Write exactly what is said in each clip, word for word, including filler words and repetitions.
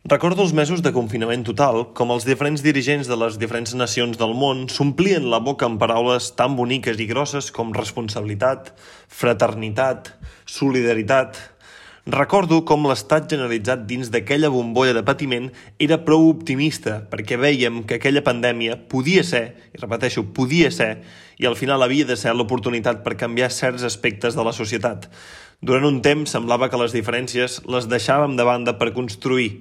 Recordo els mesos de confinament total, com els diferents dirigents de les diferents nacions del món s'omplien la boca amb paraules tan boniques i grosses com responsabilitat, fraternitat, solidaritat. Recordo com l'estat generalitzat dins d'aquella bombolla de patiment era prou optimista perquè vèiem que aquella pandèmia podia ser, i repeteixo, podia ser, i al final havia de ser l'oportunitat per canviar certs aspectes de la societat. Durant un temps semblava que les diferències les deixàvem de banda per construir.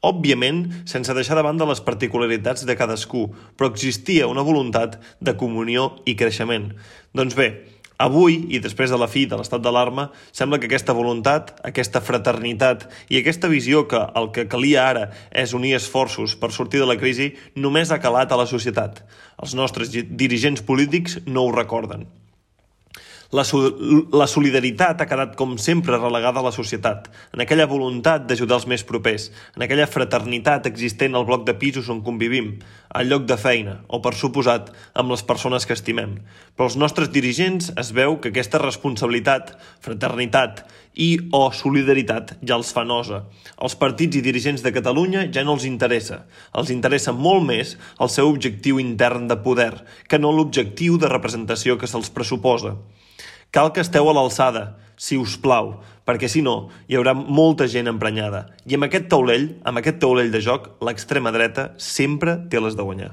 Òbviament, sense deixar de banda les particularitats de cadascú, però existia una voluntat de comunió i creixement. Doncs bé, avui, i després de la fi de l'estat d'alarma, sembla que aquesta voluntat, aquesta fraternitat i aquesta visió que el que calia ara és unir esforços per sortir de la crisi només ha calat a la societat. Els nostres dirigents polítics no ho recorden. La, la solidaritat ha quedat com sempre relegada a la societat, en aquella voluntat d'ajudar els més propers, en aquella fraternitat existent al bloc de pisos on convivim, al lloc de feina o, per suposat, amb les persones que estimem. Però els nostres dirigents es veu que aquesta responsabilitat, fraternitat i o solidaritat ja els fa nosa. Els partits i dirigents de Catalunya ja no els interessa. Els interessa molt més el seu objectiu intern de poder, que no l'objectiu de representació que se'ls pressuposa. Cal que esteu a l'alçada, si us plau, perquè si no, hi haurà molta gent emprenyada. I amb aquest taulell, amb aquest taulell de joc, l'extrema dreta sempre té les de guanyar.